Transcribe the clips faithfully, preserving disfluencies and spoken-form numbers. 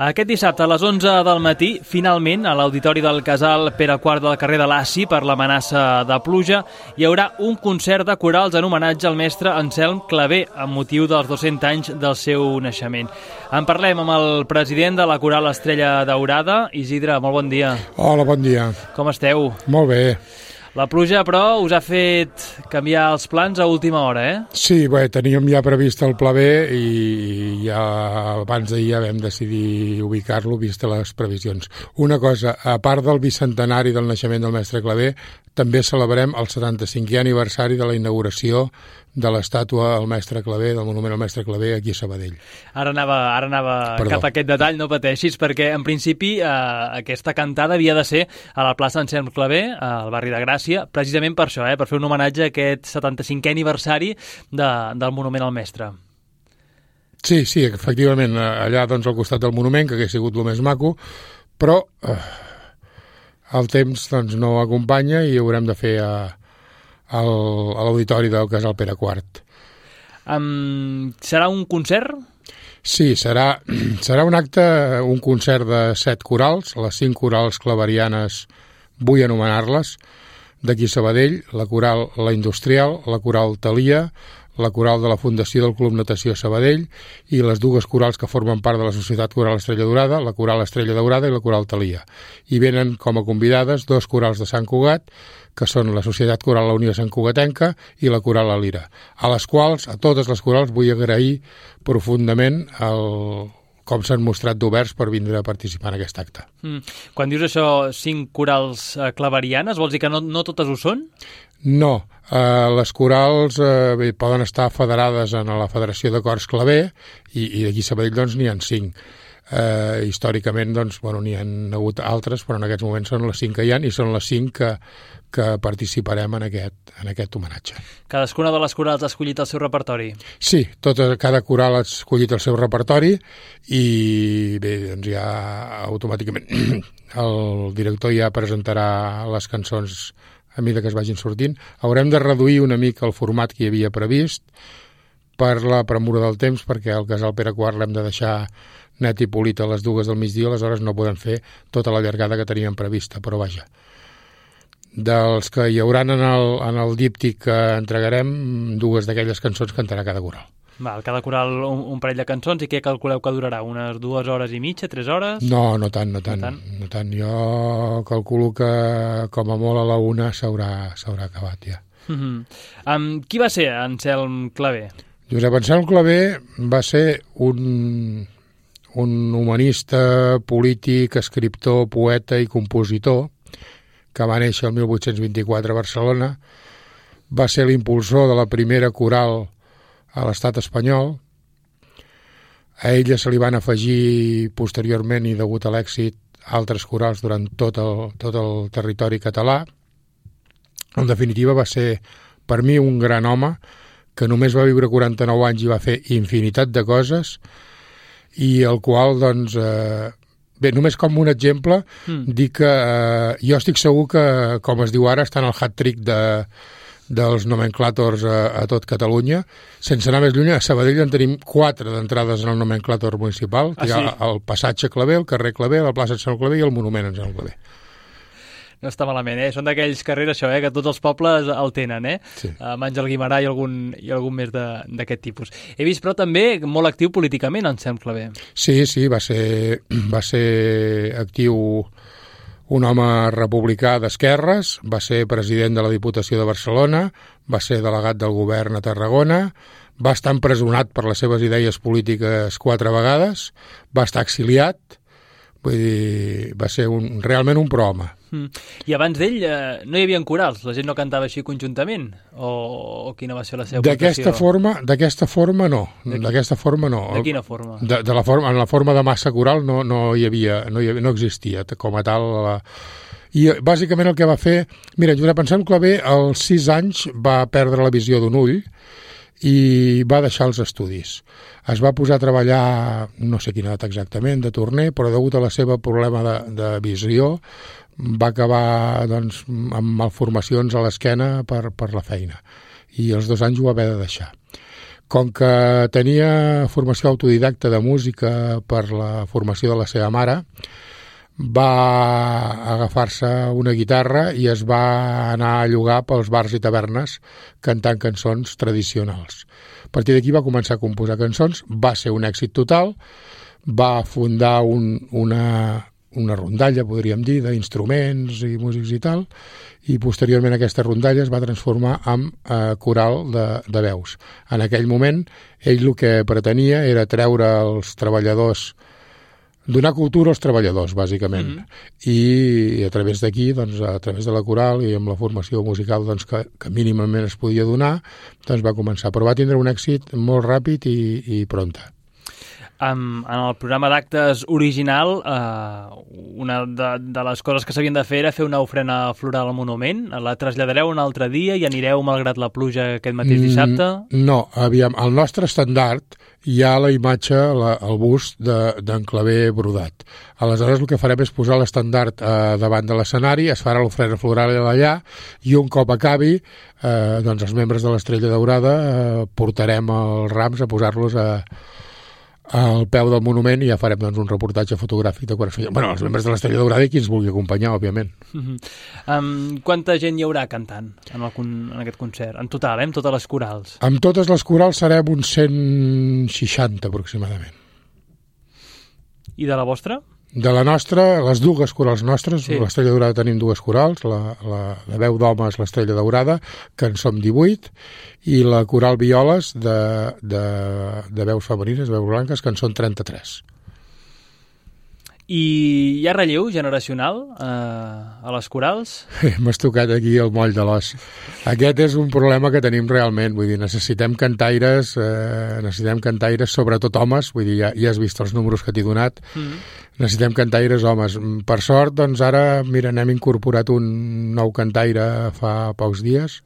Aquest dissabte a les onze del matí, finalment, a l'auditori del Casal Pere quart del carrer de Laci, per l'amenaça de pluja, hi haurà un concert de corals en homenatge al mestre Anselm Clavé, amb motiu dels dos-cents anys del seu naixement. En parlem amb el president de la Coral Estrella Daurada. Isidre, molt bon dia. Hola, bon dia. Com esteu? Molt bé. La pluja, però, us ha fet canviar els plans a última hora, eh? Sí, bé, teníem ja previst el pla B i ja abans d'ahir ja vam decidir ubicar-lo vist les previsions. Una cosa, a part del bicentenari del naixement del mestre Clavé, també celebrem el setanta-cinquè aniversari de la inauguració de l'estàtua al mestre Clavé, del monument al mestre Clavé aquí a Sabadell. Ara anava, ara anava cap a aquest detall, no pateixis, perquè en principi eh, aquesta cantada havia de ser a la plaça Anselm Clavé, al barri de Gràcia, precisament per això, eh, per fer un homenatge a aquest setanta-cinquè aniversari de, del monument al mestre. Sí, sí, efectivament, allà doncs al costat del monument, que hauria sigut el més maco, però eh, el temps doncs, no acompanya i haurem de fer a, a l'auditori del Casal Pere quart. Um, serà un concert? Sí, serà, serà un acte, un concert de set corals, les cinc corals claverianes, vull anomenar-les, d'aquí Sabadell, la coral La Industrial, la coral Thalia, la coral de la Fundació del Club Natació Sabadell i les dues corals que formen part de la Societat Coral Estrella Daurada, la coral Estrella Daurada i la coral Thalia. I venen com a convidades dos corals de Sant Cugat, que són la Societat Coral La Unió Sant Cugatenca i la coral La Lira, a les quals, a totes les corals, vull agrair profundament el com s'han mostrat d'oberts per vindre a participar en aquest acte. Mm. Quan dius això, cinc corals eh, claverianes, vols dir que no, no totes ho són? No, eh, les corals eh, bé, poden estar federades en la Federació de Cors Clavé i, i d'aquí a Sabadell doncs n'hi ha cinc. Eh, històricament doncs, bueno, n'hi ha hagut altres, però en aquests moments són les cinc que hi ha i són les cinc que, que participarem en aquest, en aquest homenatge. Cadascuna de les corals ha escollit el seu repertori? Sí, tota, cada coral ha escollit el seu repertori i bé, doncs ja automàticament el director ja presentarà les cançons a mesura que es vagin sortint. Haurem de reduir una mica el format que hi havia previst per la premura del temps, perquè el Casal Pere quart l'hem de deixar net i polit a les dues del migdia, aleshores no podem fer tota la llargada que teníem prevista, però vaja. Dels que hi hauran en el, en el díptic que entregarem, dues d'aquelles cançons cantarà cada coral. Val, cada coral un, un parell de cançons, i què calculeu que durarà? Unes dues hores i mitja, tres hores? No, no tant, no tant. No tant? No tant. Jo calculo que com a molt a la una s'haurà s'haurà acabat ja. Mm-hmm. Um, qui va ser Anselm Clavé? Josep Anselm Clavé va ser un, un humanista, polític, escriptor, poeta i compositor que va néixer el mil vuit-cents vint-i-quatre a Barcelona. Va ser l'impulsor de la primera coral a l'estat espanyol. A ella se li van afegir posteriorment i degut a l'èxit altres corals durant tot el, tot el territori català. En definitiva va ser per mi un gran home que només va viure quaranta-nou anys i va fer infinitat de coses i el qual doncs eh, bé, només com un exemple mm. dic que eh, jo estic segur que com es diu ara està en el hat-trick de dels nomenclàtors a, a tot Catalunya. Sense anar més lluny, a Sabadell en tenim quatre d'entrades en el nomenclàtor municipal. Ah, hi ha sí? El passatge Clavé, el carrer Clavé, la plaça Sant Clavé i el monument en Sant Clavé. No està malament, eh? Són d'aquells carrers, això, eh? Que tots els pobles el tenen, eh? Sí. Uh, Àngel Guimerà i algun, i algun més d'aquest tipus. He vist, però, també molt actiu políticament, Anselm Clavé. Sí, sí, va ser, va ser actiu, un home republicà d'esquerres, va ser president de la Diputació de Barcelona, va ser delegat del govern a Tarragona, va estar empresonat per les seves idees polítiques quatre vegades, va estar exiliat, vull dir, va ser un, realment un prohome. Mm. I abans d'ell eh, no hi havia corals? La gent no cantava així conjuntament? O, o quina va ser la seva d'aquesta forma, d'aquesta forma no. D'aquesta forma no. De quina forma? De, de la forma, en la forma de massa coral no, no hi havia, no, hi havia, no existia com a tal. La... I bàsicament el que va fer... Mira, Josep Anselm Clavé als sis anys va perdre la visió d'un ull i va deixar els estudis. Es va posar a treballar, no sé quina edat exactament, de torner, però degut a la seva problema de, de visió va acabar doncs, amb malformacions a l'esquena per, per la feina. I els dos anys ho va haver de deixar. Com que tenia formació autodidacta de música per la formació de la seva mare, va agafar-se una guitarra i es va anar a llogar pels bars i tavernes cantant cançons tradicionals. A partir d'aquí va començar a composar cançons, va ser un èxit total, va fundar un, una, una rondalla, podríem dir, d'instruments i músics i tal, i posteriorment aquesta rondalla es va transformar en eh, coral de, de veus. En aquell moment, ell el que pretenia era treure els treballadors, donar cultura als treballadors, bàsicament. Mm-hmm. I a través d'aquí, doncs, a través de la coral i amb la formació musical doncs, que, que mínimament es podia donar, doncs va començar. Però va tindre un èxit molt ràpid i, i prompte. Um, en el programa d'actes original, uh, una de, de les coses que s'havien de fer era fer una ofrena floral al monument. La traslladareu un altre dia i anireu malgrat la pluja aquest mateix dissabte? Mm, no, aviam, el nostre estandard hi ha la imatge, la, el bust d'en de, Claver brodat. Aleshores el que farem és posar l'estandard eh, davant de l'escenari, es farà l'ofrena floral allà i un cop acabi, eh, doncs els membres de l'Estrella Daurada eh, portarem els rams a posar-los a al peu del monument i ja farem doncs, un reportatge fotogràfic de quan es feia. Bueno, els membres de l'Estrella Daurada i qui ens vulgui acompanyar, òbviament. Uh-huh. um, quanta gent hi haurà cantant en, el, en aquest concert? En total, eh? Amb totes les corals? Amb totes les corals serem uns cent seixanta aproximadament. I de la vostra? De la nostra, les dues corals nostres, sí. L'Estrella Daurada tenim dues corals, la, la, la veu d'home és l'Estrella Daurada, que en som divuit, i la coral Violes de, de, de veus femenines, veus blanques, que en són trenta-tres. I hi ha relleu generacional eh, a les corals? M'has tocat aquí el moll de l'os. Aquest és un problema que tenim realment, vull dir, necessitem cantaires, eh, necessitem cantaires, sobretot homes, vull dir, ja, ja has vist els números que t'he donat, mm-hmm. Necessitem cantaires homes. Per sort, doncs ara, mira, n'hem incorporat un nou cantaire fa pocs dies,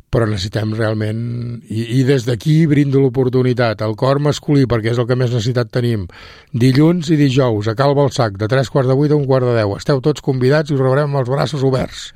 però necessitem realment, i, i des d'aquí brindo l'oportunitat, el cor masculí, perquè és el que més necessitat tenim, dilluns i dijous, a Cal Balsac, de tres quarts de vuit a un quart de deu. Esteu tots convidats i us rebrem amb els braços oberts.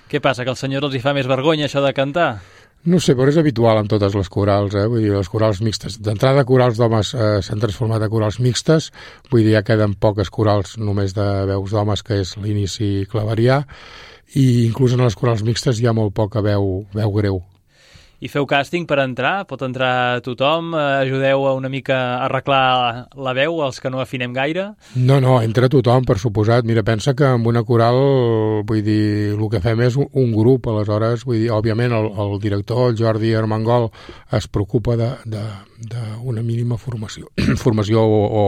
Què passa, que als senyors els hi fa més vergonya això de cantar? No sé, però és habitual amb totes les corals, eh? Vull dir, les corals mixtes. D'entrada, corals d'homes eh, s'han transformat a corals mixtes, vull dir, ja queden poques corals només de veus d'homes, que és l'inici claverià, i inclús en les corals mixtes hi ha molt poca veu, veu greu. I feu càsting per entrar? Pot entrar tothom? Ajudeu a una mica a arreglar la veu, els que no afinem gaire? No, no, entra tothom, per suposat. Mira, pensa que amb una coral, vull dir, el que fem és un, un grup, aleshores, vull dir, òbviament el, el director, el Jordi Armengol, es preocupa d'una mínima formació, formació o, o,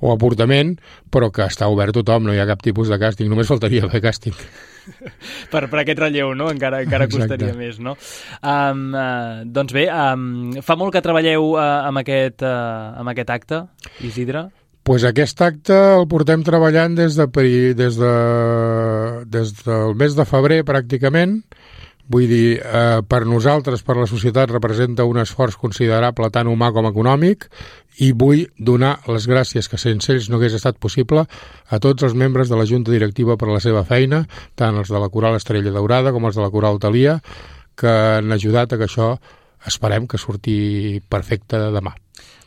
o aportament, però que està obert tothom, no hi ha cap tipus de càsting, només faltaria haver càsting. Per, per aquest relleu, no? Encara, encara costaria més, no? Um, uh, doncs bé, um, fa molt que treballeu uh, amb, aquest, uh, amb aquest acte, Isidre? Pues aquest acte el portem treballant des, de, des, de, des del mes de febrer, pràcticament. Vull dir, eh, per nosaltres, per la societat, representa un esforç considerable tant humà com econòmic, i vull donar les gràcies, que sense ells no hagués estat possible, a tots els membres de la Junta Directiva per la seva feina, tant els de la Coral Estrella Daurada com els de la Coral Thalia, que han ajudat a que això esperem que surti perfecte demà.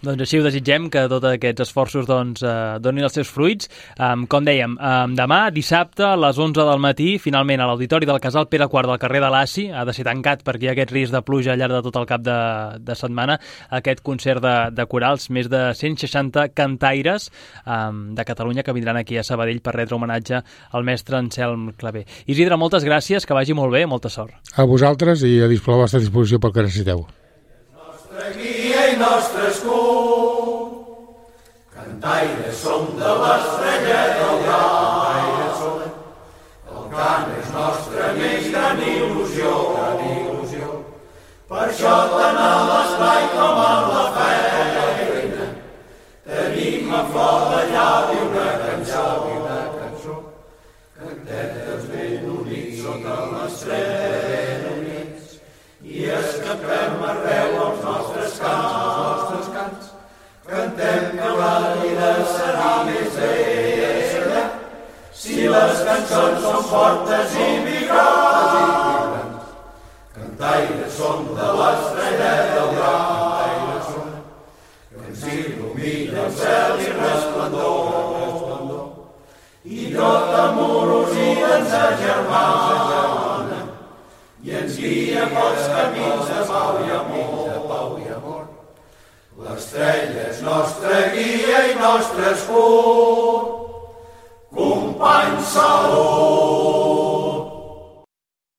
Doncs així ho desitgem, que tots aquests esforços doncs, eh, donin els seus fruits. Um, com dèiem, um, demà, dissabte, a les onze del matí, finalment a l'Auditori del Casal Pere quart del carrer de l'Assi, ha de ser tancat perquè hi ha aquest risc de pluja al llarg de tot el cap de, de setmana, aquest concert de, de corals, més de cent seixanta cantaires um, de Catalunya que vindran aquí a Sabadell per retre homenatge al mestre Anselm Claver. Isidre, moltes gràcies, que vagi molt bé, molta sort. A vosaltres i a la vostra disposició pel que necessiteu. Nostre guia i nostre escut, cantaires som de l'estrella daurada, el cant és nostre més gran il·lusió, gran il·lusió. Per això tant a l'espai com a la feina tenim a flor de llavi una cançó, una cançó. Cantem tots ben units sota l'estrella units i escapem arreu els nostres cants, els nostres cants. Cantem que la vida serà més bella si les cançons són fortes i vibrants. Cantaires som de l'estrella daurada. s'il·lumina el cel i resplendor, i tota amorosia ens agermana, i ens guia pels camins de pau i amor. L'estrella és nostra guia i nostre escut, company, salut,